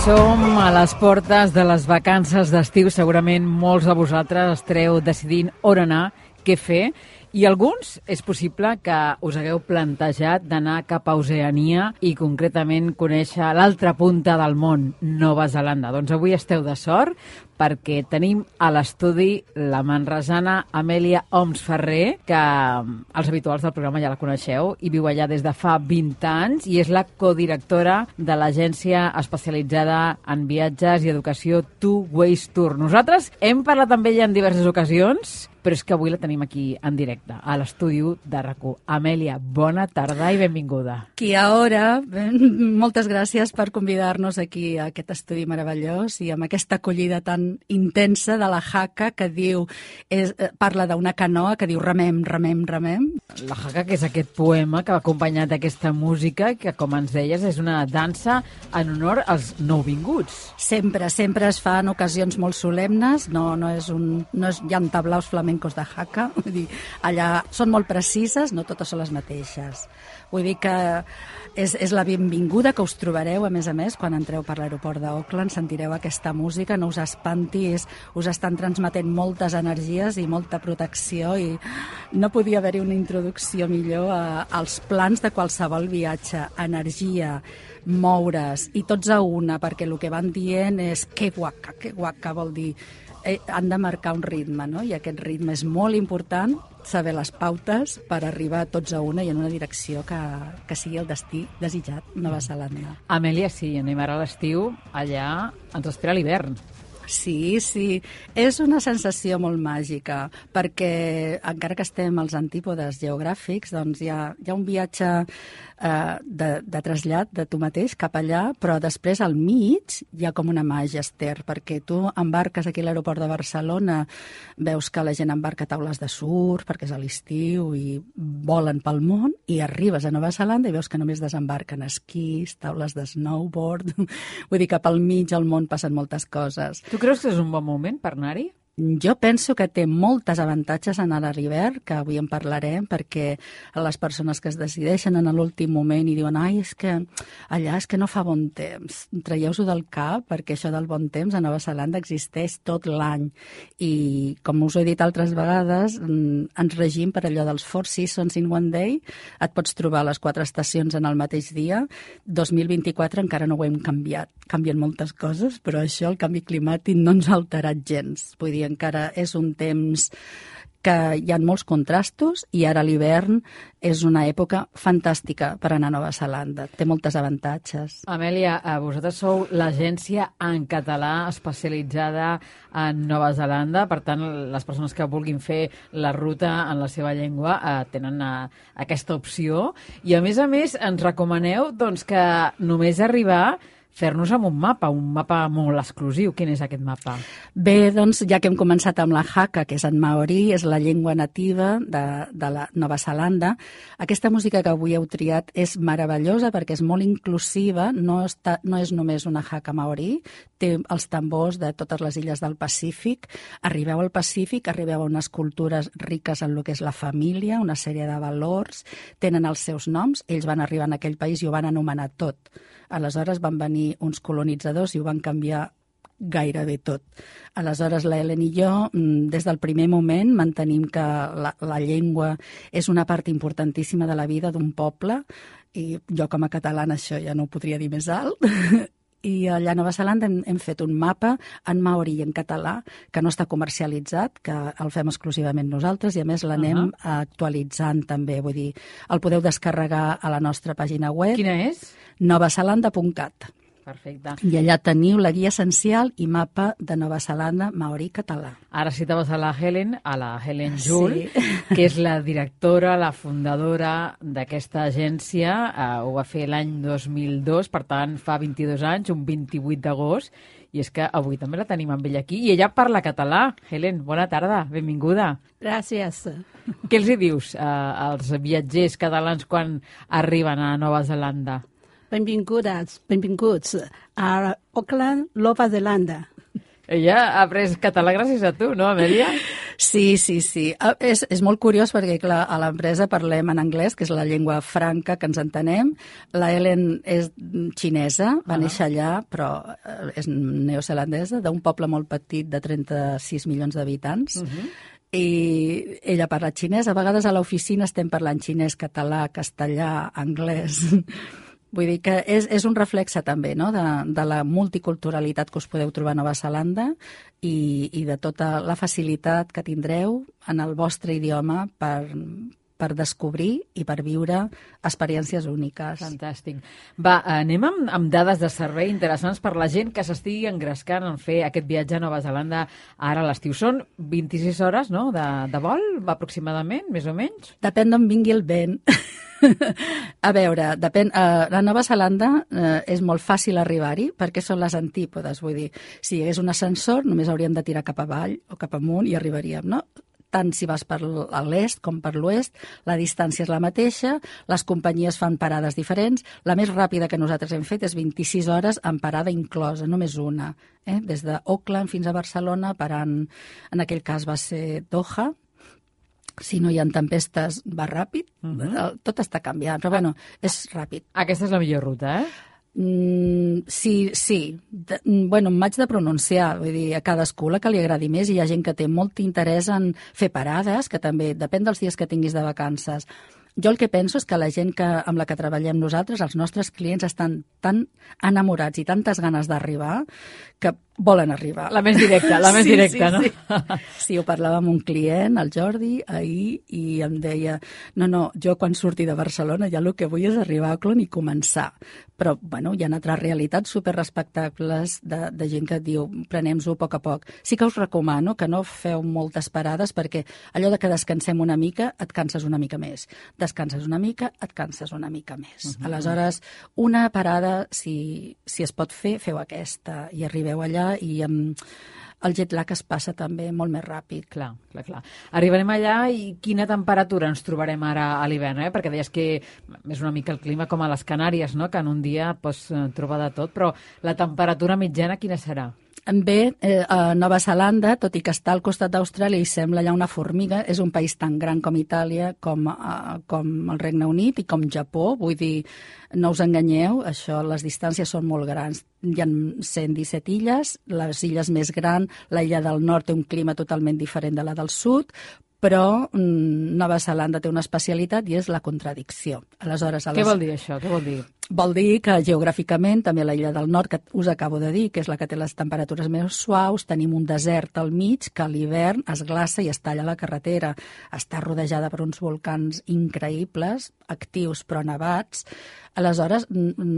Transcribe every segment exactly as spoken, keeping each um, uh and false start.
Som a les portes de les vacances d'estiu. Segurament molts de vosaltres estareu decidint on anar, què fer, i alguns és possible que us hagueu plantejat d'anar cap a Oceania i concretament conèixer l'altra punta del món, Nova Zelanda. Doncs avui esteu de sort perquè tenim a l'estudi la manresana Amèlia Oms Ferrer, que els habituals del programa ja la coneixeu i viu allà des de fa vint anys i és la codirectora de l'agència especialitzada en viatges i educació Two Ways Tour. Nosaltres hem parlat amb ella en diverses ocasions, però és que avui la tenim aquí en directe, a l'estudi de RAC1. Amèlia, bona tarda i benvinguda. Qui ara, moltes gràcies per convidar-nos aquí a aquest estudi meravellós i amb aquesta acollida tan intensa de la Haka que diu, és, parla d'una canoa que diu remem, remem, remem. La Haka, que és aquest poema que va acompanyat d'aquesta música, que com ens deies és una dansa en honor als nouvinguts. Sempre, sempre es fa en ocasions molt solemnes, no, no és un, no és, hi ha tablaus flamencos de Haka, vull dir, allà són molt precises, no totes són les mateixes. Vull dir que és, és la benvinguda que us trobareu, a més a més, quan entreu per l'aeroport d'Auckland, sentireu aquesta música, no us espantis, us estan transmetent moltes energies i molta protecció i no podia haver-hi una introducció millor a, als plans de qualsevol viatge, energia, moure's i tots a una, perquè el que van dient és que guaca, que guaca vol dir eh, han de marcar un ritme, no? I aquest ritme és molt important, saber les pautes per arribar tots a una i en una direcció que, que sigui el destí desitjat, Nova Zelanda. Amèlia, sí, anem ara a l'estiu, allà ens espera l'hivern. Sí, sí, és una sensació molt màgica, perquè encara que estem als antípodes geogràfics, doncs hi ha, hi ha un viatge eh, de, de trasllat de tu mateix cap allà, però després al mig hi ha com una màgia, Esther, perquè tu embarques aquí a l'aeroport de Barcelona, veus que la gent embarca taules de surf, perquè és a l'estiu, i volen pel món, i arribes a Nova Zelanda i veus que només desembarquen esquís, taules de snowboard, vull dir que pel mig al món passen moltes coses. Tu creus que és un bon moment per anar-hi? Jo penso que té moltes avantatges anar a l'hivern, que avui en parlarem, perquè les persones que es decideixen en l'últim moment i diuen ai, és que allà és que no fa bon temps, traieu-ho del cap, perquè això del bon temps a Nova Zelanda existeix tot l'any. I, com us ho he dit altres vegades, ens regim per allò dels Four Seasons in One Day, et pots trobar les quatre estacions en el mateix dia. dos mil vint-i-quatre encara no ho hem canviat, canvien moltes coses, però això, el canvi climàtic, no ens ha alterat gens. Vull dir, encara és un temps que hi ha molts contrastos i ara l'hivern és una època fantàstica per anar a Nova Zelanda. Té moltes avantatges. Amèlia, vosaltres sou l'agència en català especialitzada en Nova Zelanda, per tant, les persones que vulguin fer la ruta en la seva llengua eh, tenen eh, aquesta opció. I, a més a més, ens recomaneu doncs, que només arribar fer-nos amb un mapa, un mapa molt exclusiu. Quin és aquest mapa? Bé, doncs, ja que hem començat amb la Haka, que és en maori, és la llengua nativa de, de la Nova Zelanda, aquesta música que avui heu triat és meravellosa perquè és molt inclusiva, no, està, no és només una Haka maori, té els tambors de totes les illes del Pacífic. Arribeu al Pacífic, arribeu a unes cultures riques en el que és la família, una sèrie de valors, tenen els seus noms, ells van arribar en aquell país i ho van anomenar tot. Aleshores van venir uns colonitzadors i ho van canviar gairebé tot. Aleshores, la Helen i jo, des del primer moment, mantenim que la, la llengua és una part importantíssima de la vida d'un poble, i jo com a catalana això ja no ho podria dir més alt. I allà a Nova Zelanda hem, hem fet un mapa en maori i en català que no està comercialitzat, que el fem exclusivament nosaltres i a més l'anem uh -huh. actualitzant també, vull dir, el podeu descarregar a la nostra pàgina web. Quina és? nova zelanda punt cat. Perfecte. I allà teniu la guia essencial i mapa de Nova Zelanda maori català. Ara citaves a la Helen, a la Helen Jul, sí. que és la directora, la fundadora d'aquesta agència. Uh, ho va fer l'any dos mil dos, per tant, fa vint-i-dos anys, un vint-i-vuit d'agost, i és que avui també la tenim amb ella aquí. I ella parla català. Helen, bona tarda, benvinguda. Gràcies. Què els hi dius uh, als viatgers catalans quan arriben a Nova Zelanda? Benvingudes, benvinguts a Auckland, Nova Zelanda. Ella ha après català gràcies a tu, no, Amèlia? Sí, sí, sí. És, és molt curiós perquè, clar, a l'empresa parlem en anglès, que és la llengua franca que ens entenem. La Ellen és xinesa, va uh -huh. néixer allà, però és neozelandesa, d'un poble molt petit de trenta-sis milions d'habitants. Uh -huh. I ella parla xinès. A vegades a l'oficina estem parlant xinès, català, castellà, anglès. Vull dir que és, és un reflexe també, no?, de, de la multiculturalitat que us podeu trobar a Nova Zelanda i, i de tota la facilitat que tindreu en el vostre idioma per, per descobrir i per viure experiències úniques. Fantàstic. Va, anem amb, amb dades de servei interessants per la gent que s'estigui engrescant en fer aquest viatge a Nova Zelanda ara a l'estiu. Són vint-i-sis hores, no?, de, de vol, aproximadament, més o menys? Depèn d'on vingui el vent. A veure, depèn, uh, a Nova Zelanda uh, és molt fàcil arribar-hi perquè són les antípodes, vull dir, si hi hagués un ascensor només hauríem de tirar cap avall o cap amunt i arribaríem, no? Tant si vas per l'est com per l'oest, la distància és la mateixa, les companyies fan parades diferents, la més ràpida que nosaltres hem fet és vint-i-sis hores amb parada inclosa, només una, eh? Des d'Auckland fins a Barcelona, parant, en aquell cas va ser Doha. Si no hi ha tempestes, va ràpid. Uh -huh. Tot està canviant, però bueno, és ràpid. Aquesta és la millor ruta, eh? Mm, sí, sí. De, bueno, m'haig de pronunciar, vull dir, a cadascú la que li agradi més. Hi ha gent que té molt interès en fer parades, que també depèn dels dies que tinguis de vacances. Jo el que penso és que la gent que, amb la que treballem nosaltres, els nostres clients, estan tan enamorats i tantes ganes d'arribar que volen arribar. La més directa, la més sí, directa, sí, no? Sí. Sí, ho parlava amb un client, el Jordi, ahir, i em deia, no, no, jo quan surti de Barcelona ja el que vull és arribar a Auckland i començar. Però, bueno, hi ha altres realitats superrespectables de, de gent que et diu, prenem-ho a poc a poc. Sí que us recomano que no feu moltes parades perquè allò de que descansem una mica, et canses una mica més. Descanses una mica, et canses una mica més. Uh -huh. Aleshores, una parada, si, si es pot fer, feu aquesta i arribeu allà i amb el jet lag es passa també molt més ràpid. Clar, clar, clar. Arribarem allà i quina temperatura ens trobarem ara a l'hivern, eh? Perquè deies que és una mica el clima com a les Canàries, no?, que en un dia pots trobar de tot, però la temperatura mitjana quina serà? Bé, eh, a Nova Zelanda, tot i que està al costat d'Austràlia i sembla ja una formiga, és un país tan gran com Itàlia, com, uh, com el Regne Unit i com Japó. Vull dir, no us enganyeu, això, les distàncies són molt grans. Hi ha cent disset illes, les illes més grans, la illa del nord té un clima totalment diferent de la del sud, però mm, Nova Zelanda té una especialitat i és la contradicció. Aleshores, a les... Què vol dir això? Què vol dir? Vol dir que geogràficament també la illa del nord, que us acabo de dir, que és la que té les temperatures més suaus, tenim un desert al mig que a l'hivern es glaça i es talla la carretera. Està rodejada per uns volcans increïbles, actius però nevats. Aleshores,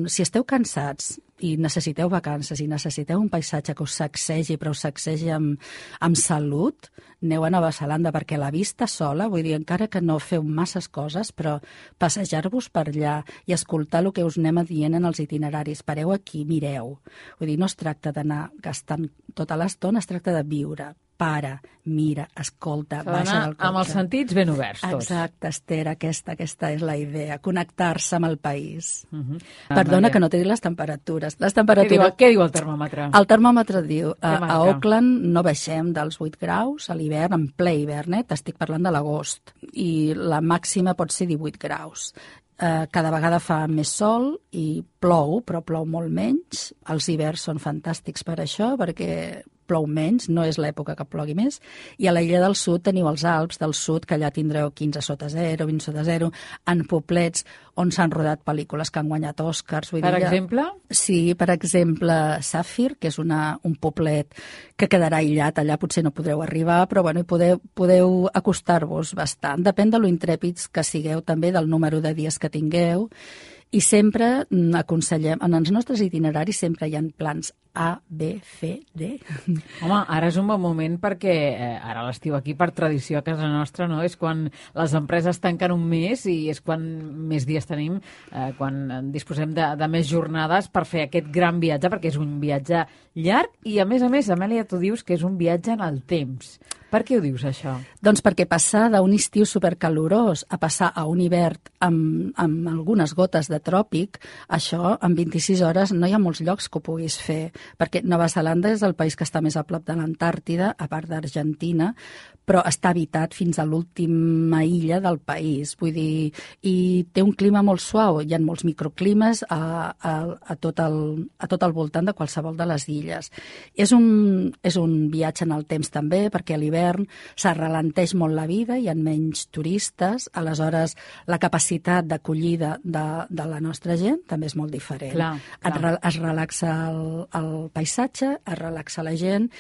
si esteu cansats i necessiteu vacances i necessiteu un paisatge que us sacsegi, però us sacsegi amb, amb salut, aneu a Nova Zelanda, perquè la vista sola, vull dir, encara que no feu masses coses, però passejar-vos per allà i escoltar el que us anem dient en els itineraris. Pareu aquí, mireu. Vull dir, no es tracta d'anar gastant tota l'estona, es tracta de viure. Para, mira, escolta, baixa del cotxe. Amb els sentits ben oberts, tots. Exacte, Esther, aquesta, aquesta és la idea, connectar-se amb el país. Uh -huh. Perdona ah, que no t'he dit les temperatures. Les temperatures... Què diu, què diu el termòmetre? El termòmetre diu, a, a Auckland no baixem dels vuit graus a l'hivern, en ple hivern, eh? T'estic parlant de l'agost, i la màxima pot ser divuit graus. Uh, cada vegada fa més sol i plou, però plou molt menys. Els hiverns són fantàstics per això, perquè plou menys, no és l'època que plogui més, i a la illa del sud teniu els Alps del sud, que allà tindreu quinze sota zero, vint sota zero, en poblets on s'han rodat pel·lícules que han guanyat Oscars. Vull per dir, exemple? Sí, per exemple, Safir, que és una, un poblet que quedarà aïllat, allà potser no podreu arribar, però bueno, podeu, podeu acostar-vos bastant. Depèn de lo intrèpids que sigueu, també del número de dies que tingueu, i sempre aconsellem, en els nostres itineraris sempre hi ha plans A, B, C, D. Home, ara és un bon moment perquè eh, ara l'estiu aquí, per tradició a casa nostra, no? És quan les empreses tanquen un mes i és quan més dies tenim, eh, quan disposem de, de més jornades per fer aquest gran viatge, perquè és un viatge llarg i, a més a més, Amèlia, tu dius que és un viatge en el temps. Per què ho dius, això? Doncs perquè passar d'un estiu supercalorós a passar a un hivern amb, amb algunes gotes de de tròpic, això en vint-i-sis hores no hi ha molts llocs que ho puguis fer, perquè Nova Zelanda és el país que està més a prop de l'Antàrtida, a part d'Argentina, però està habitat fins a l'última illa del país, vull dir, i té un clima molt suau, hi ha molts microclimes a, a, a, tot el, a tot el voltant de qualsevol de les illes. És un, és un viatge en el temps també, perquè a l'hivern s'arralenteix molt la vida, hi ha menys turistes, aleshores la capacitat d'acollida de, de la nostra gent també és molt diferent. Clar, clar. Es, es relaxa el, el paisatge, es relaxa la gent,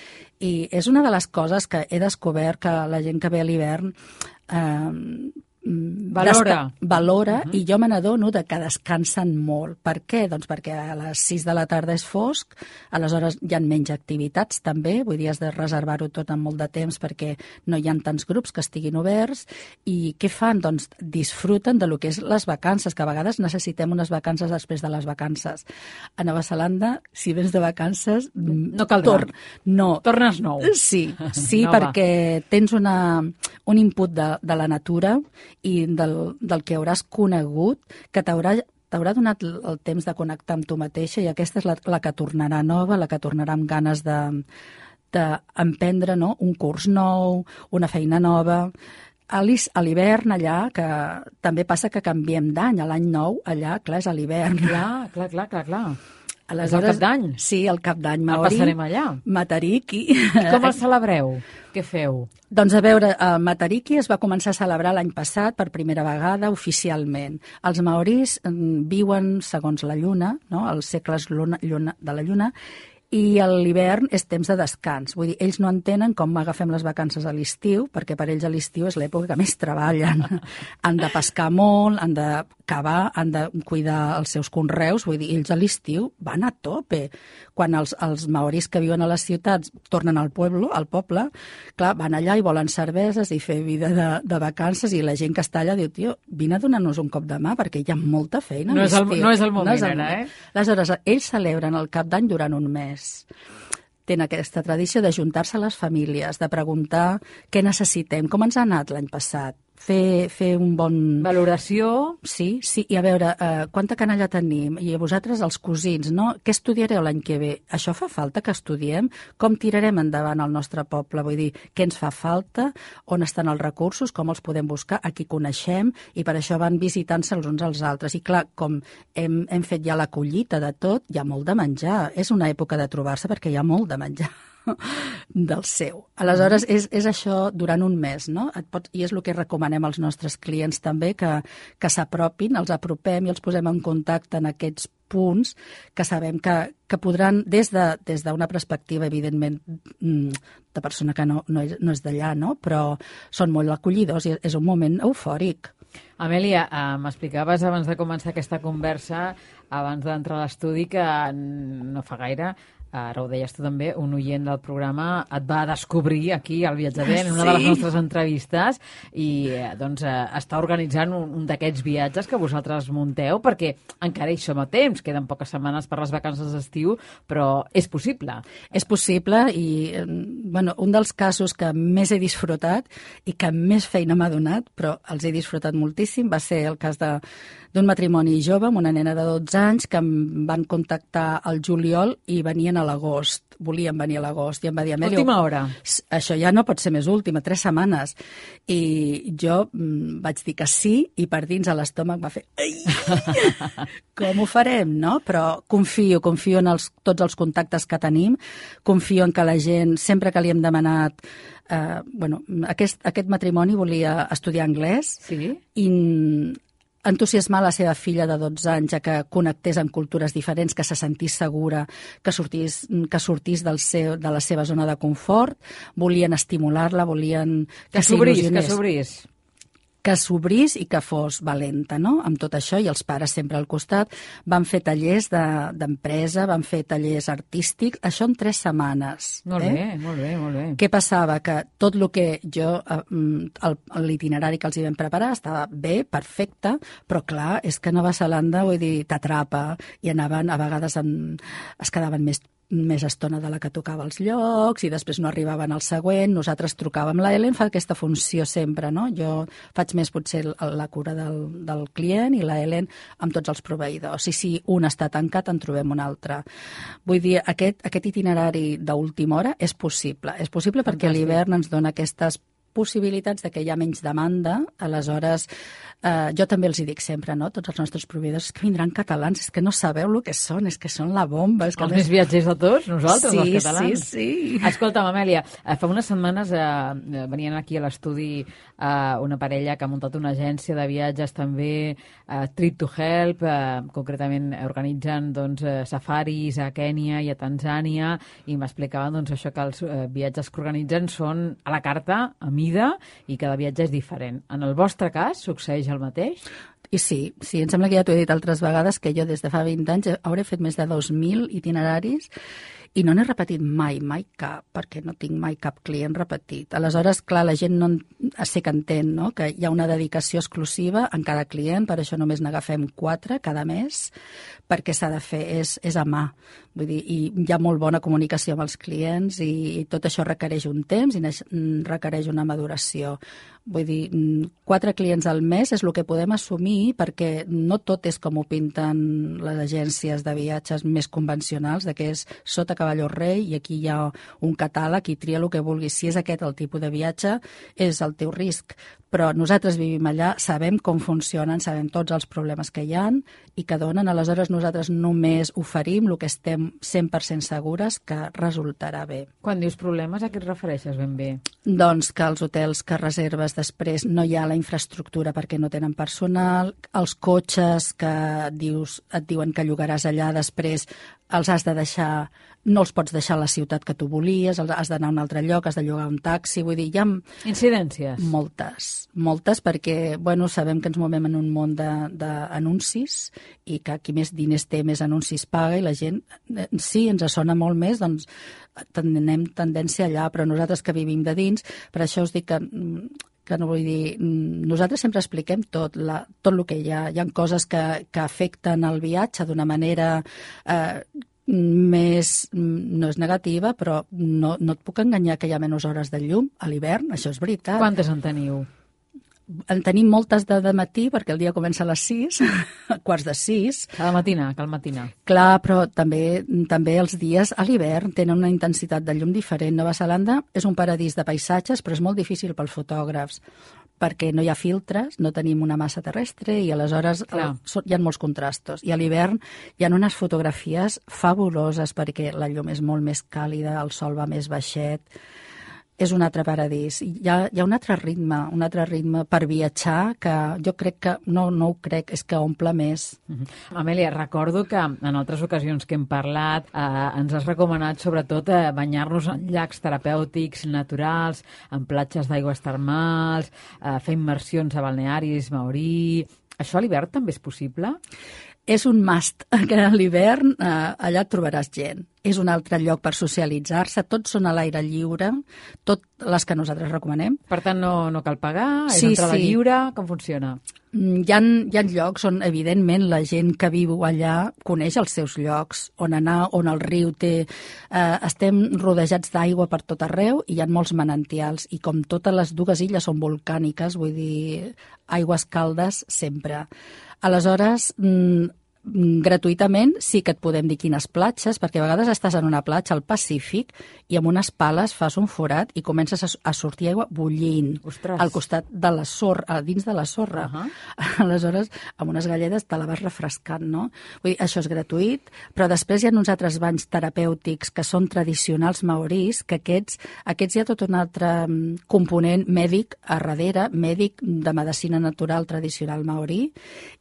i és una de les coses que he descobert que la gent que ve a l'hivern eh, valora, valora uh-huh. i jo me n'adono de que descansen molt. Per què? Doncs perquè a les sis de la tarda és fosc, aleshores hi ha menys activitats també, vull dir, has de reservar-ho tot amb molt de temps perquè no hi ha tants grups que estiguin oberts, i què fan? Doncs disfruten de lo que és les vacances, que a vegades necessitem unes vacances després de les vacances. A Nova Zelanda, si vens de vacances... No caldrà. Tor no. Tornes nou. Sí, sí no, perquè tens una, un input de, de la natura i del, del que hauràs conegut, que t'haurà t'haurà donat el temps de connectar amb tu mateixa, i aquesta és la, la que tornarà nova, la que tornarà amb ganes de d'emprendre, no? Un curs nou, una feina nova. A l'hivern allà, que també passa que canviem d'any, a l'any nou allà, clar, és a l'hivern. Clar, clar, clar, clar, clar. Aleshores, és el cap d'any. Sí, el cap d'any El maori. passarem allà. Matariki. I com el celebreu? Què feu? Doncs a veure, el Matariki es va començar a celebrar l'any passat per primera vegada oficialment. Els maoris viuen segons la lluna, no? Els segles luna, lluna, de la lluna, i a l'hivern és temps de descans. Vull dir, ells no entenen com agafem les vacances a l'estiu, perquè per ells a l'estiu és l'època que més treballen. Han de pescar molt, han de cavar, han de cuidar els seus conreus. Vull dir, ells a l'estiu van a tope. Quan els, els maoris que viuen a les ciutats tornen al poble, al poble, clar, van allà i volen cerveses i fer vida de, de vacances, i la gent que està allà diu, tio, vine a donar-nos un cop de mà, perquè hi ha molta feina no a l'estiu. És el, no és el moment, no és el ara, moment. eh? Aleshores, ells celebren el cap d'any durant un mes. Tenen aquesta tradició de juntar-se a les famílies, de preguntar què necessitem, com ens ha anat l'any passat, fer, fer un bon... Valoració. Sí, sí, i a veure, eh, quanta canalla tenim, i a vosaltres els cosins, no? Què estudiareu l'any que ve? Això fa falta que estudiem? Com tirarem endavant el nostre poble? Vull dir, què ens fa falta? On estan els recursos? Com els podem buscar? A qui coneixem? I per això van visitant-se els uns als altres. I clar, com hem, hem fet ja la collita de tot, hi ha molt de menjar. És una època de trobar-se perquè hi ha molt de menjar del seu. Aleshores, és, és això durant un mes, no? Et pots, i és el que recomanem als nostres clients també, que, que s'apropin, els apropem i els posem en contacte en aquests punts que sabem que, que podran, des de, des d'una perspectiva, evidentment, de persona que no, no és, no és d'allà, no? Però són molt acollidors i és un moment eufòric. Amèlia, eh, m'explicaves abans de començar aquesta conversa, abans d'entrar a l'estudi, que no fa gaire, ara ho deies tu també, un oient del programa et va descobrir aquí al Viatjador, en una sí. de les nostres entrevistes, i doncs eh, està organitzant un, un d'aquests viatges que vosaltres munteu, perquè encara hi som a temps, queden poques setmanes per les vacances d'estiu, però és possible. És possible, i bueno, un dels casos que més he disfrutat i que més feina m'ha donat, però els he disfrutat moltíssim, va ser el cas de d'un matrimoni jove amb una nena de dotze anys que em van contactar al juliol i venien a l'agost, volien venir a l'agost, i em va dir, Amèlia... Última hora. Això ja no pot ser més última, tres setmanes. I jo mm, vaig dir que sí, i per dins a l'estómac va fer... Ai! Com ho farem, no? Però confio, confio en els, tots els contactes que tenim, confio en que la gent, sempre que li hem demanat... Eh, bueno, aquest, aquest matrimoni volia estudiar anglès, sí? I entusiasmar la seva filla de dotze anys a que connectés amb cultures diferents, que se sentís segura, que sortís, que sortís del seu, de la seva zona de confort, volien estimular-la, volien que, que s'obrís, que s'obrís. que s'obrís i que fos valenta, no? Amb tot això, i els pares sempre al costat, van fer tallers d'empresa, de, van fer tallers artístics, això en tres setmanes. Molt eh? bé, molt bé, molt bé. Què passava? Que tot el que jo, l'itinerari que els hi vam preparar estava bé, perfecte, però clar, és que Nova Zelanda, vull dir, t'atrapa, i anaven, a vegades en, es quedaven més més estona de la que tocava els llocs i després no arribaven al següent. Nosaltres trucàvem. La Helen fa aquesta funció sempre, no? Jo faig més potser la cura del, del client i la Helen amb tots els proveïdors. I si un està tancat, en trobem un altre. Vull dir, aquest, aquest itinerari d'última hora és possible. És possible Fantàstic. Perquè l'hivern ens dona aquestes possibilitats de que hi ha menys demanda, aleshores eh, jo també els hi dic sempre, no? Tots els nostres proveïdors, que vindran catalans, és que no sabeu el que són, és que són la bomba. És que els més, més viatgers de tots, nosaltres, sí, els catalans. Sí, sí, Escolta'm, Amèlia, fa unes setmanes eh, venien aquí a l'estudi eh, una parella que ha muntat una agència de viatges també, eh, Trip to Help, eh, concretament organitzen doncs, eh, safaris a Kènia i a Tanzània, i m'explicaven doncs, això que els eh, viatges que organitzen són a la carta, a mida, i cada viatge és diferent. En el vostre cas, succeeix el mateix? I sí, sí, em sembla que ja t'ho he dit altres vegades que jo des de fa vint anys hauré fet més de dos mil itineraris i no n'he repetit mai, mai cap, perquè no tinc mai cap client repetit. Aleshores, clar, la gent no sé que entén, no?, que hi ha una dedicació exclusiva en cada client, per això només n'agafem quatre cada mes, perquè s'ha de fer, és, és a mà. Vull dir, i hi ha molt bona comunicació amb els clients i, i tot això requereix un temps i requereix una maduració. Vull dir, quatre clients al mes és el que podem assumir perquè no tot és com ho pinten les agències de viatges més convencionals, de que és sota cavalló rei i aquí hi ha un catàleg i tria el que vulguis. Si és aquest el tipus de viatge, és el teu risc. Però nosaltres vivim allà, sabem com funcionen, sabem tots els problemes que hi ha i que donen. Aleshores, nosaltres només oferim el que estem cent per cent segures que resultarà bé. Quan dius problemes, a què et refereixes ben bé? Doncs que els hotels que reserves després no hi ha la infraestructura perquè no tenen personal, els cotxes que dius, et diuen que llogaràs allà després els has de deixar, no els pots deixar a la ciutat que tu volies, has d'anar a un altre lloc, has de llogar un taxi, vull dir, hi ha... Incidències? Moltes, moltes, perquè, bueno, sabem que ens movem en un món d'anuncis i que qui més diners té, més anuncis paga i la gent, sí, ens sona molt més, doncs tenem tendència allà, però nosaltres que vivim de dins, per això us dic que que no vull dir, nosaltres sempre expliquem tot, la, tot el que hi ha. Hi ha coses que, que afecten el viatge d'una manera eh, més, no és negativa, però no, no et puc enganyar que hi ha menys hores de llum a l'hivern, això és veritat. Quantes en teniu? En tenim moltes de, de matí, perquè el dia comença a les sis, a quarts de sis. Cada matina, cal matina. Clar, però també, també els dies a l'hivern tenen una intensitat de llum diferent. Nova Zelanda és un paradís de paisatges, però és molt difícil pels fotògrafs, perquè no hi ha filtres, no tenim una massa terrestre i aleshores el, hi ha molts contrastos. I a l'hivern hi ha unes fotografies fabuloses perquè la llum és molt més càlida, el sol va més baixet. És un altre paradís. Hi ha, hi ha un altre ritme, un altre ritme per viatjar que jo crec que, no, no ho crec, és que omple més. Uh-huh. Amèlia, recordo que en altres ocasions que hem parlat eh, ens has recomanat sobretot eh, banyar-nos en llacs terapèutics naturals, en platges d'aigües termals, eh, fer immersions a balnearis, maorí... Això a l'hivern també és possible? És un must, que a l'hivern eh, allà trobaràs gent. És un altre lloc per socialitzar-se, tots són a l'aire lliure, tot les que nosaltres recomanem. Per tant, no, no cal pagar, és sí, entrada sí. lliure, com funciona? Hi ha, hi ha llocs on, evidentment, la gent que viu allà coneix els seus llocs, on anar, on el riu té... Eh, estem rodejats d'aigua per tot arreu i hi ha molts manantials, i com totes les dues illes són volcàniques, vull dir, aigües caldes sempre. Aleshores, gratuïtament sí que et podem dir quines platges, perquè a vegades estàs en una platja al Pacífic i amb unes pales fas un forat i comences a, a sortir aigua bullint. Ostres. Al costat de la sorra, dins de la sorra. Uh-huh. Aleshores, amb unes galledes te la vas refrescant, no? Vull dir, això és gratuït, però després hi ha uns altres banys terapèutics que són tradicionals maorís, que aquests, aquests hi ha tot un altre component mèdic a darrere, mèdic de medicina natural tradicional maorí,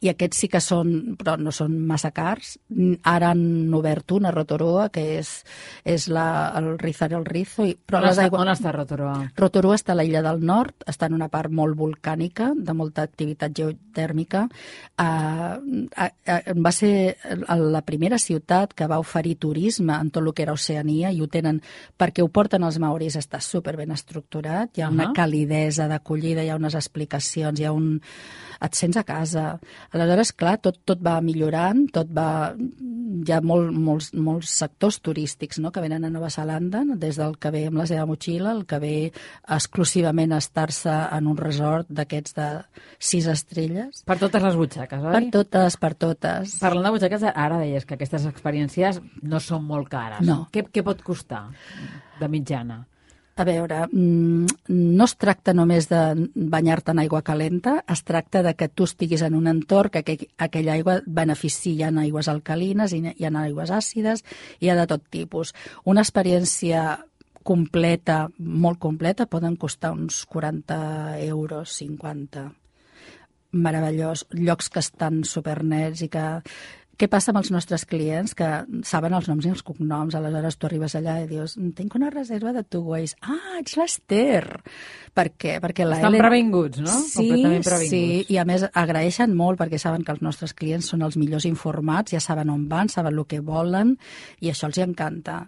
i aquests sí que són, però no són massa cars. Ara han obert una a Rotorua, que és, és la, el Rizar el Rizo. I, però on, les està, aigua... on està Rotorua? Rotorua està a l'illa del nord, està en una part molt volcànica, de molta activitat geotèrmica. Uh, uh, uh, va ser la primera ciutat que va oferir turisme en tot el que era Oceania, i ho tenen perquè ho porten els maoris, està superben estructurat, hi ha una uh-huh. calidesa d'acollida, hi ha unes explicacions, hi ha un... et sents a casa. Aleshores, clar, tot, tot va millorar restaurant, tot va... Hi ha molt, molts, molts sectors turístics, no?, que venen a Nova Zelanda, des del que ve amb la seva motxilla, el que ve exclusivament a estar-se en un resort d'aquests de sis estrelles. Per totes les butxaques, oi? Per totes, per totes. Parlant de butxaques, ara deies que aquestes experiències no són molt cares. No. Què, què pot costar de mitjana? A veure, no es tracta només de banyar-te en aigua calenta, es tracta de que tu estiguis en un entorn que aquell, aquella aigua benefici. Hi ha aigües alcalines, hi ha aigües àcides, hi ha de tot tipus. Una experiència completa, molt completa, poden costar uns quaranta euros, cinquanta. Meravellós. Llocs que estan supernets i que... Què passa amb els nostres clients que saben els noms i els cognoms? Aleshores tu arribes allà i dius, tinc una reserva de Two Ways. Ah, ets l'Ester! Per què? Perquè la Estan Ellen... previnguts, no? Sí, Completament previnguts. Sí, i a més agraeixen molt perquè saben que els nostres clients són els millors informats, ja saben on van, saben el que volen i això els hi encanta.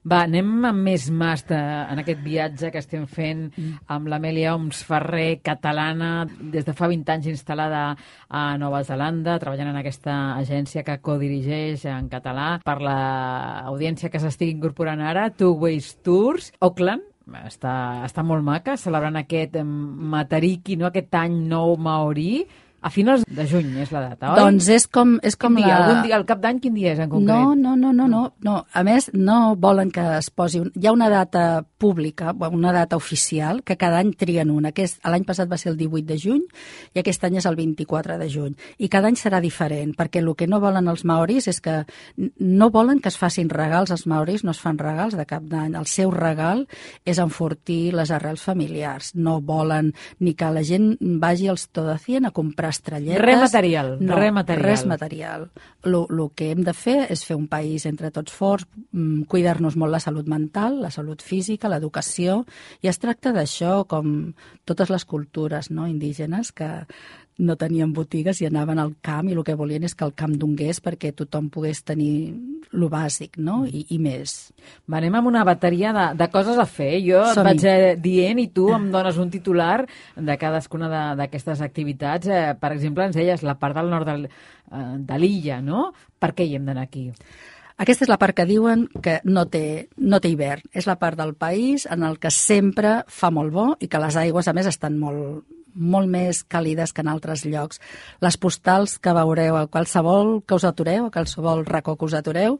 Va, anem amb més mas de, en aquest viatge que estem fent amb l'Amèlia Oms Ferrer, catalana, des de fa vint anys instal·lada a Nova Zelanda, treballant en aquesta agència que codirigeix en català per l'audiència que s'estigui incorporant ara, Two Ways Tours, Auckland. Està, està molt maca, celebrant aquest Matariki, no? Aquest any nou maorí. A finals de juny és la data, oi? Doncs és com, és com quin dia? la... Algun dia, el cap d'any, quin dia és en concret? No, no, no, no, no, no. A més, no volen que es posi... Un... Hi ha una data pública, una data oficial, que cada any trien una. L'any passat va ser el divuit de juny i aquest any és el vint-i-quatre de juny. I cada any serà diferent, perquè el que no volen els maoris és que no volen que es facin regals. Els maoris no es fan regals de cap d'any. El seu regal és enfortir les arrels familiars. No volen ni que la gent vagi als Todacien a comprar estrelletes. Res material, no, res material. Res material. El que hem de fer és fer un país entre tots forts, cuidar-nos molt la salut mental, la salut física, l'educació, i es tracta d'això, com totes les cultures, no?, indígenes, que no tenien botigues i anaven al camp i el que volien és que el camp dongués perquè tothom pogués tenir lo bàsic, no?, I, i més. Va, anem amb una bateria de, de coses a fer. Jo et vaig eh, dient i tu em dones un titular de cadascuna d'aquestes activitats. Eh, per exemple, ens deies la part del nord del, eh, de l'illa, no? Per què hi hem d'anar aquí? Aquesta és la part que diuen que no té, no té hivern. És la part del país en el que sempre fa molt bo i que les aigües, a més, estan molt, molt més càlides que en altres llocs. Les postals que veureu a qualsevol que us atureu, a qualsevol racó que us atureu,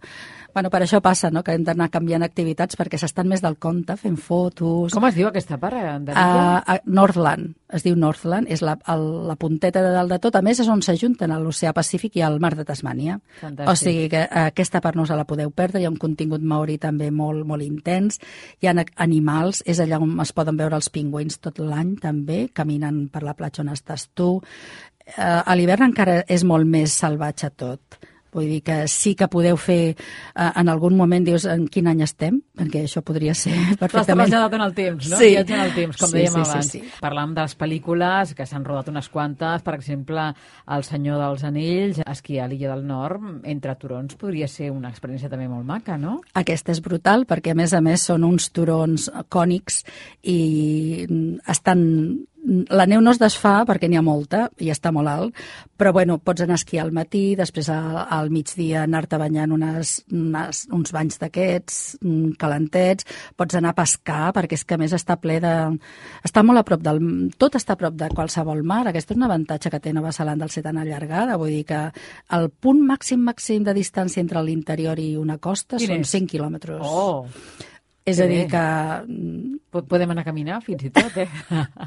bueno, per això passa, no?, que hem d'anar canviant activitats perquè s'estan més del compte, fent fotos... Com es diu aquesta part? A, a Northland, es diu Northland, és la, el, la punteta de dalt de tot. A més, és on s'ajunten l'oceà Pacífic i el mar de Tasmània. Fantàstic. O sigui que aquesta part no se la podeu perdre, hi ha un contingut maori també molt, molt intens, hi ha animals, és allà on es poden veure els pingüins tot l'any també, caminant per la platja on estàs tu. Eh, a l'hivern encara és molt més salvatge tot. Vull dir que sí que podeu fer, eh, en algun moment dius en quin any estem, perquè això podria ser perfectament... T'has traslladat en el temps, no? Sí. Viatge en el temps, com sí, dèiem sí, abans. Sí, sí. Parlàvem de les pel·lícules, que s'han rodat unes quantes, per exemple, El Senyor dels Anells, esquiar a l'Illa del Nord, entre turons, podria ser una experiència també molt maca, no? Aquesta és brutal, perquè a més a més són uns turons cònics i estan... La neu no es desfà perquè n'hi ha molta i està molt alt, però bueno, pots anar a esquiar al matí, després al, al migdia anar-te banyant unes, unes, uns banys d'aquests calentets, pots anar a pescar perquè és que a més està ple de... Està molt a prop del... Tot està a prop de qualsevol mar. Aquest és un avantatge que té Nova Zelanda al ser tan allargada, vull dir que el punt màxim màxim de distància entre l'interior i una costa Quin són és? cinc quilòmetres. Oh! És a dir que... Podem anar a caminar fins i tot, eh?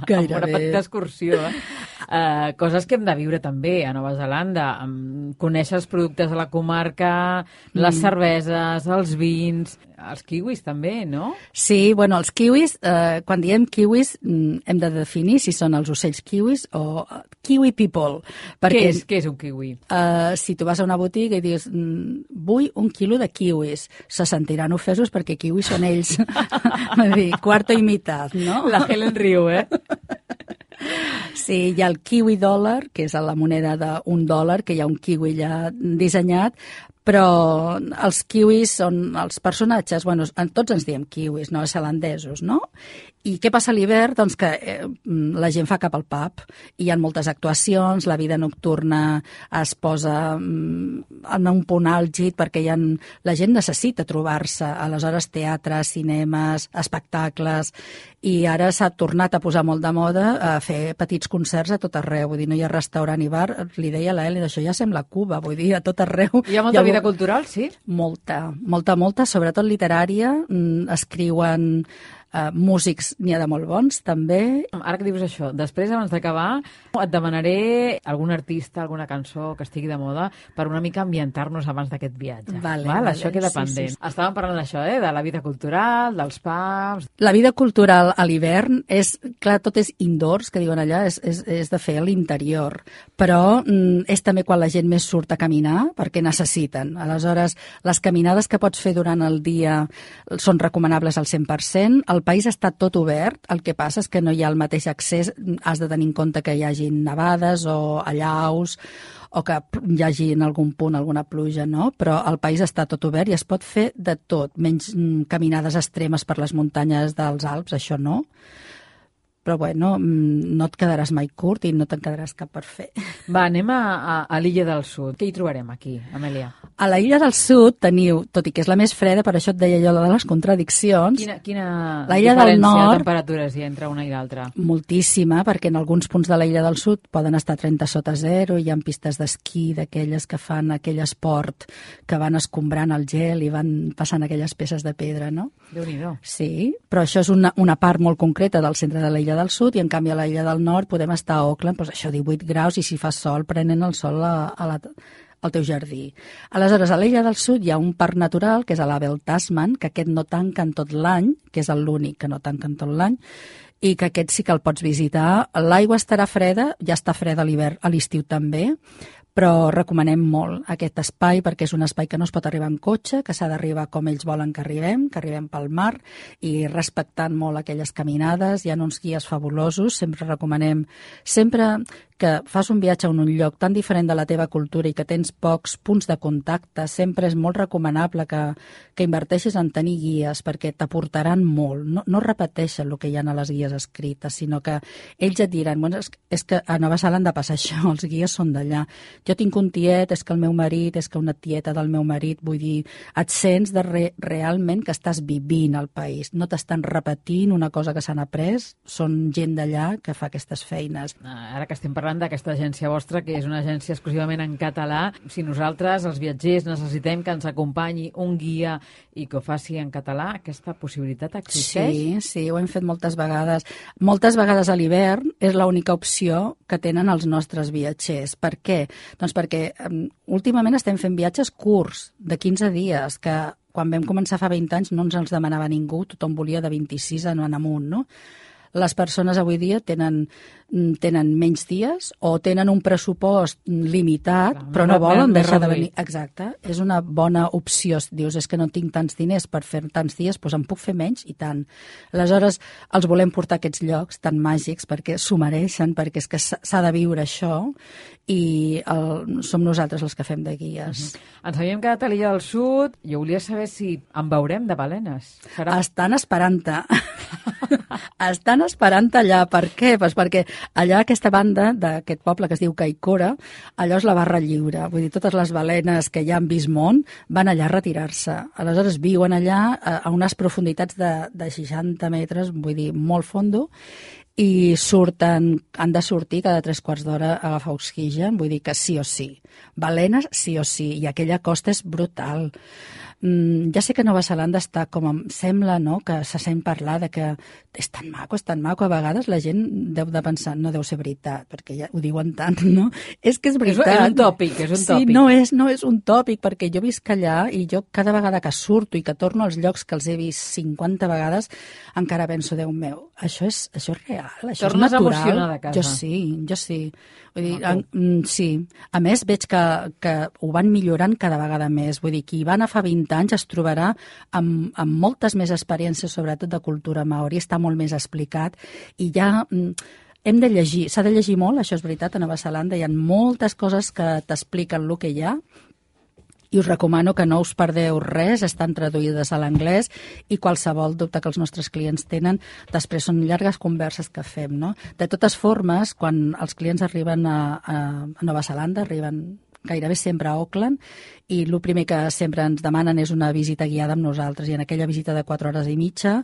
Gairebé. Una petita excursió, eh? Uh, coses que hem de viure també a Nova Zelanda. Um, conèixer els productes de la comarca, les mm. cerveses, els vins, els kiwis també, no? Sí, bueno, els kiwis, eh, quan diem kiwis, hem de definir si són els ocells kiwis o kiwi people. Perquè, què, és, què és un kiwi? Eh, si tu vas a una botiga i dius vull un quilo de kiwis, se sentiran ofesos perquè kiwis són ells. Vull dir, quarto i meitat, no? La Helen riu, eh? Sí, hi ha el kiwi dòlar, que és la moneda d'un dòlar, que hi ha un kiwi ja dissenyat, però els kiwis són els personatges, bueno, tots ens diem kiwis, neozelandesos, no? I què passa a l'hivern? Doncs que eh, la gent fa cap al pub, i hi ha moltes actuacions, la vida nocturna es posa mm, en un punt àlgid perquè hi ha, la gent necessita trobar-se, aleshores teatre, cinemes, espectacles, i ara s'ha tornat a posar molt de moda a fer petits concerts a tot arreu, vull dir, no hi ha restaurant i bar, li deia a l'Eli, això ja sembla Cuba, vull dir, a tot arreu. Hi ha molta hi ha... vida cultural, sí? Molta, molta, molta, sobretot literària, escriuen Uh, músics n'hi ha de molt bons, també. Ara que dius això, després, abans d'acabar, et demanaré algun artista, alguna cançó que estigui de moda per una mica ambientar-nos abans d'aquest viatge. Vale, Val? vale, Això queda pendent. Sí, sí. Estàvem parlant d'això, eh? De la vida cultural, dels pubs... La vida cultural a l'hivern és, clar, tot és indoors, que diuen allà, és, és, és de fer a l'interior, però mm, és també quan la gent més surt a caminar, perquè necessiten. Aleshores, les caminades que pots fer durant el dia són recomanables al cent per cent. El país està tot obert, el que passa és que no hi ha el mateix accés, has de tenir en compte que hi hagi nevades o allaus o que hi hagi en algun punt alguna pluja, no? Però el país està tot obert i es pot fer de tot, menys caminades extremes per les muntanyes dels Alps, això no. Però bueno, no et quedaràs mai curt i no te'n quedaràs cap per fer. Va, anem a, a, a l'Illa del Sud. Què hi trobarem aquí, Amèlia? A la Illa del Sud teniu, tot i que és la més freda, per això et deia jo de les contradiccions... Quina, quina la Illa diferència del Nord, de temperatures hi ha entre una i l'altra? Moltíssima, perquè en alguns punts de la Illa del Sud poden estar trenta sota zero, hi ha pistes d'esquí d'aquelles que fan aquell esport que van escombrant el gel i van passant aquelles peces de pedra, no? Déu-n'hi-do. Sí, però això és una, una part molt concreta del centre de la Illa del Sud, i en canvi a la Illa del Nord podem estar a Auckland, doncs això, divuit graus, i si fa sol prenen el sol a, a la, al teu jardí. Aleshores, a l'Illa del Sud hi ha un parc natural, que és a l'Abel Tasman, que aquest no tanca en tot l'any, que és l'únic que no tanca en tot l'any, i que aquest sí que el pots visitar. L'aigua estarà freda, ja està freda a l'hivern, a l'estiu també, però recomanem molt aquest espai perquè és un espai que no es pot arribar en cotxe, que s'ha d'arribar com ells volen que arribem, que arribem pel mar, i respectant molt aquelles caminades. Hi ha uns guies fabulosos, sempre recomanem, sempre que fas un viatge a un lloc tan diferent de la teva cultura i que tens pocs punts de contacte, sempre és molt recomanable que, que inverteixis en tenir guies perquè t'aportaran molt. No, no repeteixen el que hi ha a les guies escrites, sinó que ells et diran, bueno, és, és que a Nova Zelanda passa això, els guies són d'allà. Jo tinc un tiet, és que el meu marit, és que una tieta del meu marit, vull dir, et sents de re, realment que estàs vivint al país, no t'estan repetint una cosa que s'han après, són gent d'allà que fa aquestes feines. Ara que estem parlant d'aquesta agència vostra, que és una agència exclusivament en català, si nosaltres, els viatgers, necessitem que ens acompanyi un guia i que ho faci en català, aquesta possibilitat existeix? Sí, sí, ho hem fet moltes vegades. Moltes vegades a l'hivern és l'única opció que tenen els nostres viatgers. Per què? Doncs perquè um, últimament estem fent viatges curts, de quinze dies, que quan vam començar fa vint anys no ens els demanava ningú, tothom volia de vint-i-sis en amunt, no? Les persones avui dia tenen, tenen menys dies o tenen un pressupost limitat, clar, però no volen deixar de venir. Exacte, és una bona opció. Dius, és que no tinc tants diners per fer tants dies, doncs en puc fer menys i tant. Aleshores, els volem portar a aquests llocs tan màgics perquè s'ho mereixen, perquè és que s'ha de viure això i el, som nosaltres els que fem de guies. Uh-huh. Ens havíem quedat a l'Illa del Sud. Jo volia saber si en veurem de balenes. Serà... Estan esperant-te. Estan esperant allà. Per què? Pues perquè allà aquesta banda d'aquest poble que es diu Kaikoura, allò és la barra lliure. Vull dir, totes les balenes que ja han vist món van allà a retirar-se. Aleshores viuen allà a, a unes profunditats de, de seixanta metres, vull dir, molt fondo, i surten, han de sortir cada tres quarts d'hora a agafar oxigen, vull dir que sí o sí. Balenes sí o sí, i aquella costa és brutal. Mm, ja sé que Nova Zelanda està com em sembla, no?, que se sent parlar de que és tan maco, és tan maco. A vegades la gent deu de pensar, no deu ser veritat, perquè ja ho diuen tant, no? És que és veritat. És, és un tòpic, és un tòpic. Sí, no és, no és un tòpic, perquè jo visc allà i jo cada vegada que surto i que torno als llocs que els he vist cinquanta vegades, encara penso, Déu meu, això és, això és real, això Tornes és natural. emocionada a casa. Jo sí, jo sí. Vull dir, en, mm, sí. A més, veig que, que ho van millorant cada vegada més. Vull dir, qui va anar fa vint anys es trobarà amb, amb moltes més experiències, sobretot de cultura maori, està molt més explicat i ja... Mm, hem de llegir, s'ha de llegir molt, això és veritat, a Nova Zelanda hi ha moltes coses que t'expliquen el que hi ha i us recomano que no us perdeu res, estan traduïdes a l'anglès i qualsevol dubte que els nostres clients tenen, després són llargues converses que fem, no? De totes formes, quan els clients arriben a, a, a Nova Zelanda, arriben gairebé sempre a Auckland, i el primer que sempre ens demanen és una visita guiada amb nosaltres, i en aquella visita de quatre hores i mitja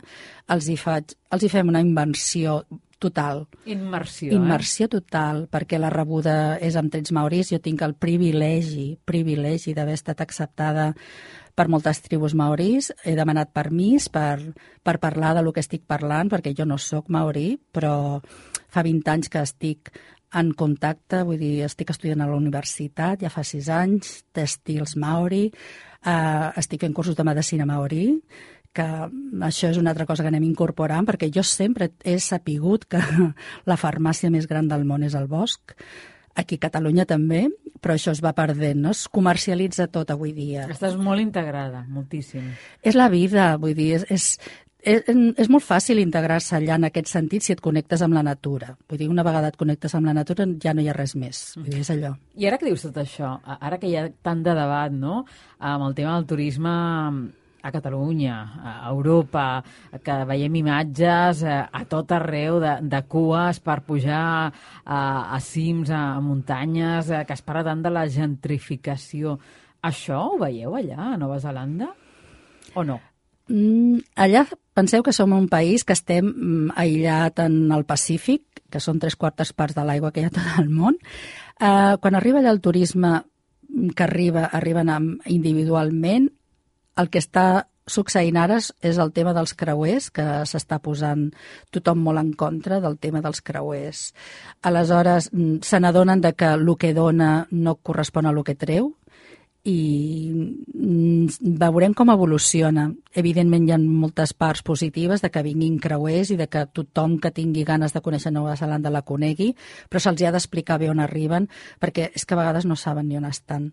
els hi, faig, els hi fem una invenció total. Immersió, Immersió eh? total, perquè la rebuda és amb trets maoris. Jo tinc el privilegi, privilegi d'haver estat acceptada per moltes tribus maoris. He demanat permís per, per parlar de lo que estic parlant, perquè jo no sóc maori, però fa vint anys que estic en contacte, vull dir, estic estudiant a la universitat, ja fa sis anys, tèxtils maori, eh, estic fent cursos de medicina maori, que això és una altra cosa que anem incorporant, perquè jo sempre he sapigut que la farmàcia més gran del món és el bosc. Aquí a Catalunya també, però això es va perdent, no? Es comercialitza tot avui dia. Estàs molt integrada, moltíssim. És la vida, vull dir, és... és És, és molt fàcil integrar-se allà en aquest sentit si et connectes amb la natura. Vull dir, una vegada et connectes amb la natura ja no hi ha res més. Vull dir, és allò. I ara que dius tot això, ara que hi ha tant de debat, no?, amb el tema del turisme a Catalunya, a Europa, que veiem imatges a tot arreu de, de cues per pujar a, a cims, a muntanyes, que es parla tant de la gentrificació. Això ho veieu allà, a Nova Zelanda, o no? Mm, allà penseu que som un país que estem mm, aïllat en el Pacífic, que són tres quartes parts de l'aigua que hi ha a tot el món. Eh, quan arriba allà el turisme que arriba, arriben individualment, el que està succeint ara és el tema dels creuers, que s'està posant tothom molt en contra del tema dels creuers. Aleshores, se n'adonen de que el que dona no correspon a el que treu, i veurem com evoluciona. Evidentment hi ha moltes parts positives de que vinguin creuers i de que tothom que tingui ganes de conèixer Nova Zelanda la conegui, però se'ls ha d'explicar bé on arriben, perquè és que a vegades no saben ni on estan.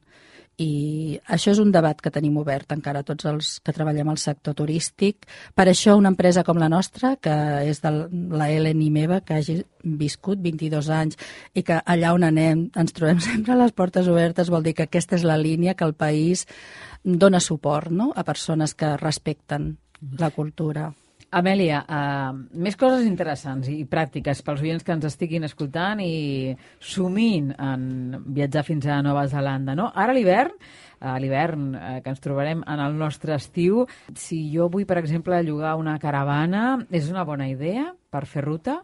I això és un debat que tenim obert encara tots els que treballem al sector turístic. Per això una empresa com la nostra, que és de la Ellen i meva, que hagi viscut vint-i-dos anys i que allà on anem ens trobem sempre a les portes obertes, vol dir que aquesta és la línia que el país dona suport, no?, a persones que respecten la cultura. Amèlia, uh, més coses interessants i pràctiques pels oients que ens estiguin escoltant i somint en viatjar fins a Nova Zelanda, no? Ara l'hivern, uh, l'hivern uh, que ens trobarem en el nostre estiu, si jo vull, per exemple, llogar una caravana, és una bona idea per fer ruta?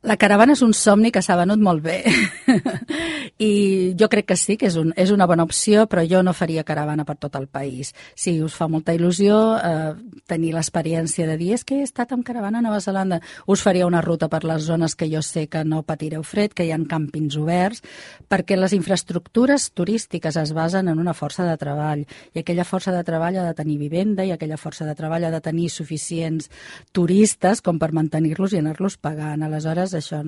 La caravana és un somni que s'ha venut molt bé i jo crec que sí, que és, un, és una bona opció, però jo no faria caravana per tot el país. Sí, us fa molta il·lusió eh, tenir l'experiència de dir és que he estat amb caravana a Nova Zelanda, us faria una ruta per les zones que jo sé que no patireu fred, que hi ha càmpings oberts, perquè les infraestructures turístiques es basen en una força de treball, i aquella força de treball ha de tenir vivenda, i aquella força de treball ha de tenir suficients turistes com per mantenir-los i anar-los pagant. Aleshores, això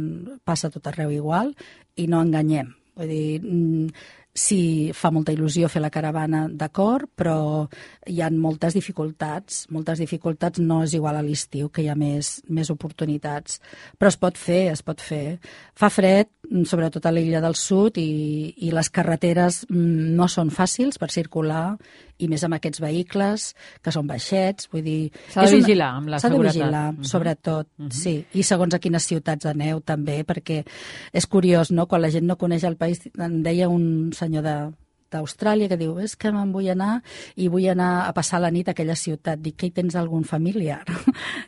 passa tot arreu igual i no enganyem. Vull dir, sí, fa molta il·lusió fer la caravana, d'acord, però hi ha moltes dificultats. Moltes dificultats, no és igual a l'estiu, que hi ha més, més oportunitats. Però es pot fer, es pot fer. Fa fred, sobretot a l'illa del sud, i, i les carreteres no són fàcils per circular, i més amb aquests vehicles, que són baixets, vull dir... S'ha de vigilar amb la seguretat. S'ha de vigilar, uh -huh. sobretot, uh -huh. sí. I segons a quines ciutats aneu, també, perquè és curiós, no?, quan la gent no coneix el país, em deia un senyor de d'Austràlia que diu, és que me'n vull anar i vull anar a passar la nit a aquella ciutat. Dic, que hi tens algun familiar?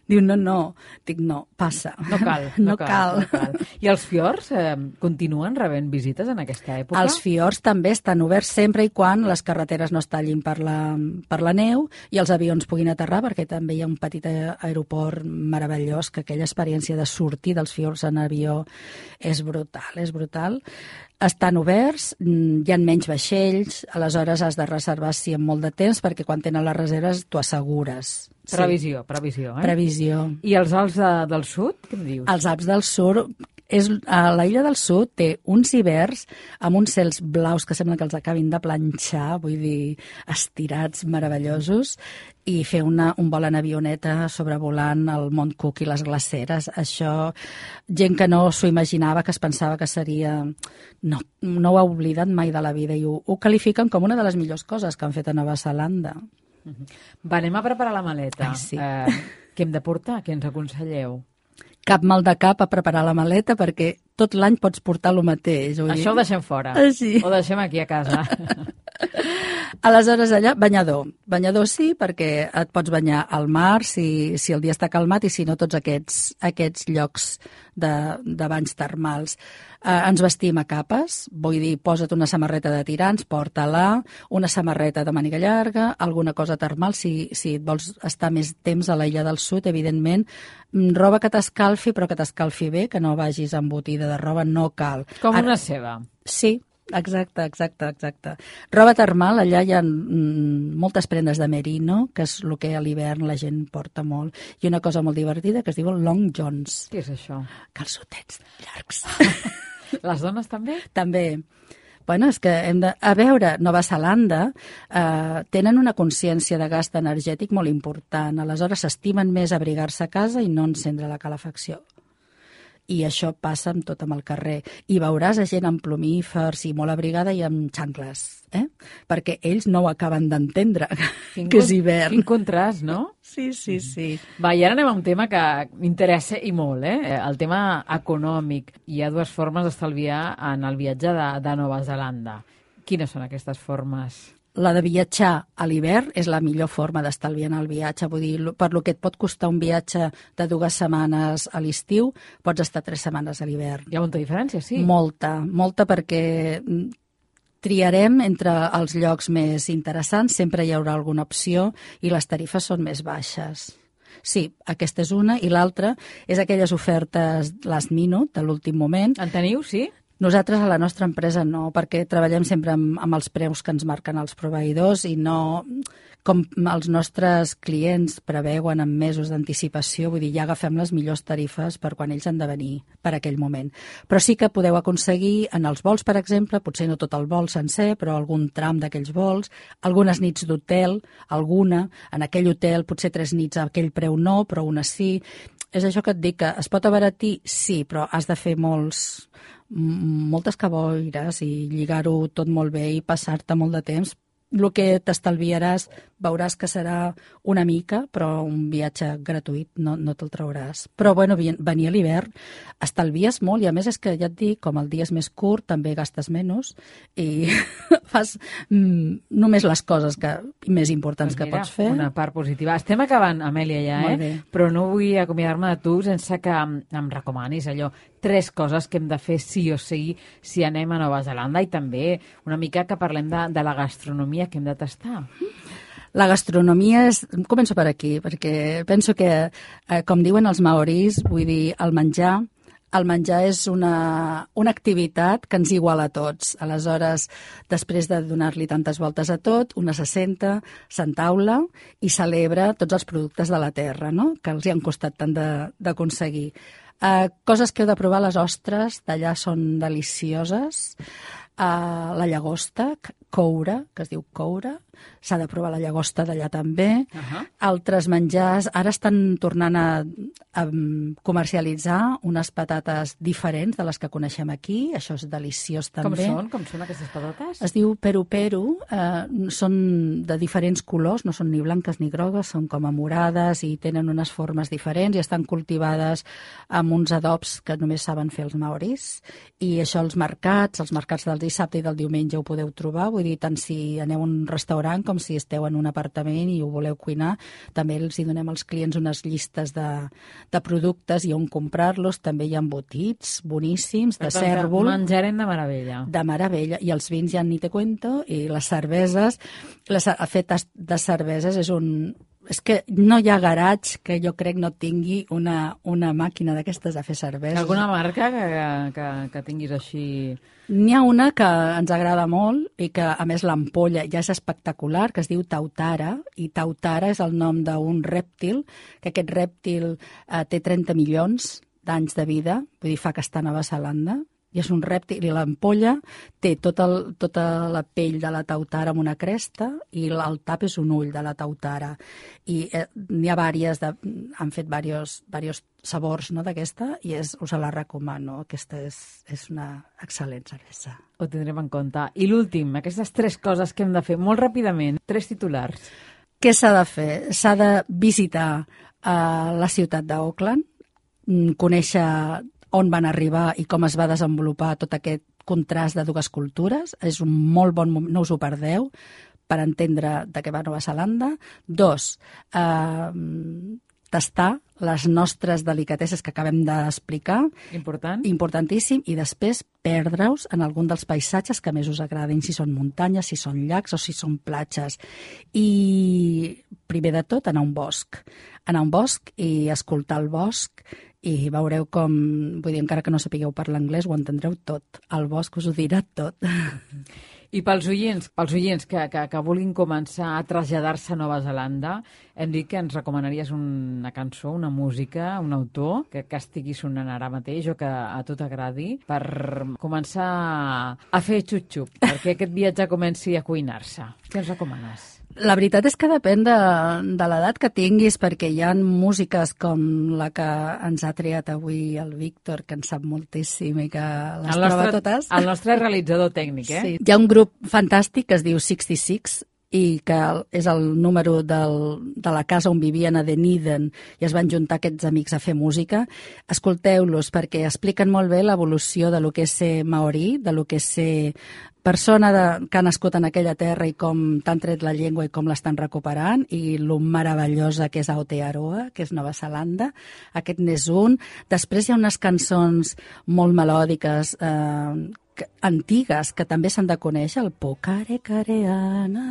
Diu, no, no. Dic, no, passa. No cal. No, no cal. cal. No cal. I els fiords eh, continuen rebent visites en aquesta època? Els fiords també estan oberts sempre i quan les carreteres no es tallin per la, per la neu i els avions puguin aterrar, perquè també hi ha un petit aeroport meravellós, que aquella experiència de sortir dels fiords en avió és brutal, és brutal. Estan oberts, hi ha menys vaixells, aleshores has de reservar sí amb molt de temps, perquè quan tenen les reserves t'ho assegures. Previsió, sí. previsió. Eh? Previsió. I els Alps de, del sud, què em dius? Els Alps del sud És, a l'illa del Sud té uns hiverns amb uns cels blaus que sembla que els acabin de planxar, vull dir, estirats, meravellosos, i fer una, un vol en avioneta sobrevolant el Mont Cook i les glaceres. Això, gent que no s'ho imaginava, que es pensava que seria... No, no ho ha oblidat mai de la vida i ho, ho qualifiquen com una de les millors coses que han fet a Nova Zelanda. Va, anem a preparar la maleta. Ai, sí. Eh, què hem de portar? Què ens aconselleu? Cap mal de cap a preparar la maleta perquè tot l'any pots portar el mateix. Vull Això dir. ho deixem fora. Ah, sí. Ho deixem aquí a casa. Aleshores, allà, banyador. Banyador sí, perquè et pots banyar al mar si, si el dia està calmat i si no tots aquests, aquests llocs de, de banys termals. Eh, ens vestim a capes, vull dir, posa't una samarreta de tirants, porta-la, una samarreta de màniga llarga, alguna cosa termal, si, si et vols estar més temps a l'illa del Sud, evidentment, roba que t'escalfi, però que t'escalfi bé, que no vagis embotida de roba, no cal. Com Ara, una ceba. Sí, exacte, exacte, exacte. Roba termal, allà hi ha mm, moltes prendes de merino, que és el que a l'hivern la gent porta molt, i una cosa molt divertida que es diu el long johns. Què és això? Calçotets llargs. Les dones també? També. Bueno, és que hem de... A veure, Nova Zelanda eh, tenen una consciència de gast energètic molt important. Aleshores, s'estimen més abrigar-se a casa i no encendre la calefacció. I això passa amb tot amb el carrer. I veuràs a gent amb plomífers i molt abrigada i amb xancles, eh? Perquè ells no ho acaben d'entendre, que és hivern. Quin contrast, no? Sí, sí, sí. Va, i ara anem a un tema que m'interessa i molt, eh? El tema econòmic. Hi ha dues formes d'estalviar en el viatge de, de Nova Zelanda. Quines són aquestes formes? La de viatjar a l'hivern és la millor forma d'estalviar en el viatge. Vull dir, per lo que et pot costar un viatge de dues setmanes a l'estiu, pots estar tres setmanes a l'hivern. Hi ha molta diferència, sí? Molta, molta, perquè triarem entre els llocs més interessants, sempre hi haurà alguna opció i les tarifes són més baixes. Sí, aquesta és una, i l'altra és aquelles ofertes last minute, de l'últim moment. En teniu, sí? Nosaltres a la nostra empresa no, perquè treballem sempre amb, amb els preus que ens marquen els proveïdors i no, com els nostres clients preveuen amb mesos d'anticipació, vull dir, ja agafem les millors tarifes per quan ells han de venir per aquell moment. Però sí que podeu aconseguir en els vols, per exemple, potser no tot el vol sencer, però algun tram d'aquells vols, algunes nits d'hotel, alguna, en aquell hotel potser tres nits a aquell preu no, però una sí. És això que et dic, que es pot abaratir? Sí, però has de fer molts... moltes caboires i lligar-ho tot molt bé i passar-te molt de temps. El que t'estalviaràs veuràs que serà una mica, però un viatge gratuït no, no te'l trauràs. Però bueno, venir a l'hivern estalvies molt i a més és que ja et dic, com el dia és més curt, també gastes menys i fas mm, només les coses que, més importants pues mira, que pots fer. Una part positiva. Estem acabant, Amèlia, ja, Molt eh? bé. Però no vull acomiadar-me de tu sense que em, em recomanis allò, tres coses que hem de fer sí o sí si anem a Nova Zelanda i també una mica que parlem de, de la gastronomia que hem de tastar. La gastronomia és... Començo per aquí, perquè penso que, eh, com diuen els maoris, vull dir, el menjar... El menjar és una, una activitat que ens iguala a tots. Aleshores, després de donar-li tantes voltes a tot, una se senta, s'entaula i celebra tots els productes de la terra, no? Que els hi han costat tant d'aconseguir. Uh, coses que heu de provar, les ostres d'allà són delicioses. Uh, la llagosta, coure, que es diu coure, s'ha de provar la llagosta d'allà també. Uh-huh. Altres menjars, ara estan tornant a, a comercialitzar unes patates diferents de les que coneixem aquí, això és deliciós també. Com són? Com són aquestes patates? Es diu peru peru, eh, són de diferents colors, no són ni blanques ni grogues, són com a morades i tenen unes formes diferents i estan cultivades amb uns adobs que només saben fer els maoris. I això als mercats, els mercats del dissabte i del diumenge ho podeu trobar, vull dir, tant si aneu a un restaurant com si esteu en un apartament i ho voleu cuinar, també els hi donem als clients unes llistes de, de productes i on comprar-los, també hi ha embotits boníssims, de cèrvol. Menjarem de meravella. De meravella, i els vins ja ni te cuento, i les cerveses, les fetes de cerveses és un... És que no hi ha garatge que jo crec no tingui una, una màquina d'aquestes de fer cerveses. Alguna marca que, que, que tinguis així... N'hi ha una que ens agrada molt i que, a més, l'ampolla ja és espectacular, que es diu Tautara, i Tautara és el nom d'un rèptil, que aquest rèptil eh, té trenta milions d'anys de vida, vull dir, fa que està a Nova Zelanda, i és un rèptil, i l'ampolla té tot el, tota la pell de la tautara amb una cresta i el tap és un ull de la tautara. I eh, n'hi ha vàries, de, han fet diversos, diversos sabors, no, d'aquesta, i és, us la recomano. Aquesta és, és una excel·lent cervesa. Ho tindrem en compte. I l'últim, aquestes tres coses que hem de fer molt ràpidament, tres titulars. Què s'ha de fer? S'ha de visitar uh, la ciutat d'Auckland, conèixer on van arribar i com es va desenvolupar tot aquest contrast de dues cultures. És un molt bon moment, no us ho perdeu, per entendre de què va Nova Zelanda. Dos, eh, tastar les nostres delicatesses que acabem d'explicar. Important. Importantíssim. I després perdre-us en algun dels paisatges que més us agradin, si són muntanyes, si són llacs o si són platges. I primer de tot, anar a un bosc. Anar a un bosc i escoltar el bosc i veureu com, vull dir, encara que no sapigueu parlar anglès, ho entendreu tot. El bosc us ho dirà tot. I pels oients, pels oients que, que, que vulguin començar a traslladar-se a Nova Zelanda, hem dit que ens recomanaries una cançó, una música, un autor que, que estigui sonant ara mateix o que a tu t'agradi per començar a fer xup-xup, perquè aquest viatge comenci a cuinar-se. Què ens recomanes? La veritat és que depèn de, de l'edat que tinguis, perquè hi ha músiques com la que ens ha triat avui el Víctor, que en sap moltíssim i que les el troba nostre, totes. El nostre realitzador tècnic, eh? Sí. Hi ha un grup fantàstic que es diu seixanta-sis i que és el número del, de la casa on vivien a Dunedin i es van juntar aquests amics a fer música. Escolteu-los perquè expliquen molt bé l'evolució de lo que és ser maorí, de lo que és ser persona de, que ha nascut en aquella terra i com t'han tret la llengua i com l'estan recuperant, i lo meravellosa que és Aotearoa, que és Nova Zelanda. Aquest n'és un. Després hi ha unes cançons molt melòdiques, eh, que, antigues, que també s'han de conèixer, el Pokare Kareana.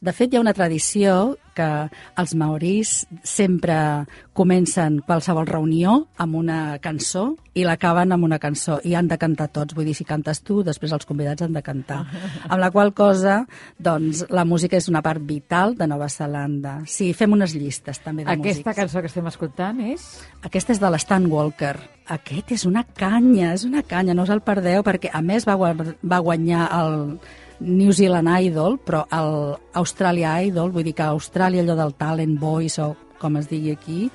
De fet, hi ha una tradició que els maoris sempre comencen qualsevol reunió amb una cançó i l'acaben amb una cançó i han de cantar tots. Vull dir, si cantes tu, després els convidats han de cantar. Amb la qual cosa, doncs, la música és una part vital de Nova Zelanda. Sí, fem unes llistes també de músics. Aquesta cançó que estem escoltant és? Aquesta és de l'Stan Walker. Aquest és una canya, és una canya, no us el perdeu, perquè a més va, va guanyar el New Zealand Idol, però el Australia Idol, vull dir que a Austràlia allò del Talent Voice o com es digui aquí,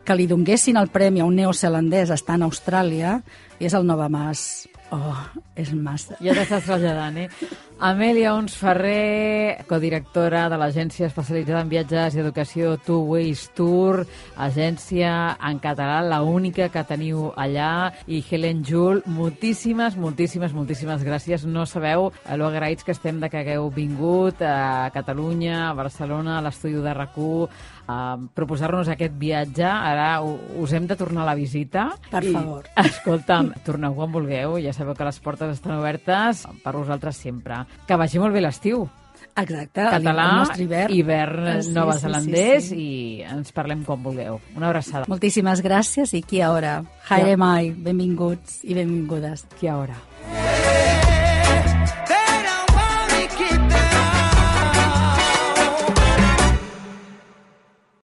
que li donguessin el premi a un neozelandès estant a Austràlia, i és el Nova Mas. Oh, és massa. Ja t'estàs traslladant, eh? Amèlia Ons Ferrer, codirectora de l'agència especialitzada en viatges i educació Two Ways Tour, agència en català, la única que teniu allà, i Helen Jul, moltíssimes, moltíssimes, moltíssimes gràcies. No sabeu lo agraïts que estem de que hagueu vingut a Catalunya, a Barcelona, a l'estudi de RAC u, a proposar-nos aquest viatge. Ara us hem de tornar a la visita. Per I, favor. Escolta'm, torneu quan vulgueu, ja sabeu que les portes estan obertes per vosaltres sempre. Que vagi molt bé l'estiu. Exacte, Català, el nostre hivern, hivern sí, neozelandès, sí, sí, sí. i ens parlem quan vulgueu. Una abraçada. Moltíssimes gràcies i qui a hora. Haere mai, benvinguts i benvingudes. Qui a hora.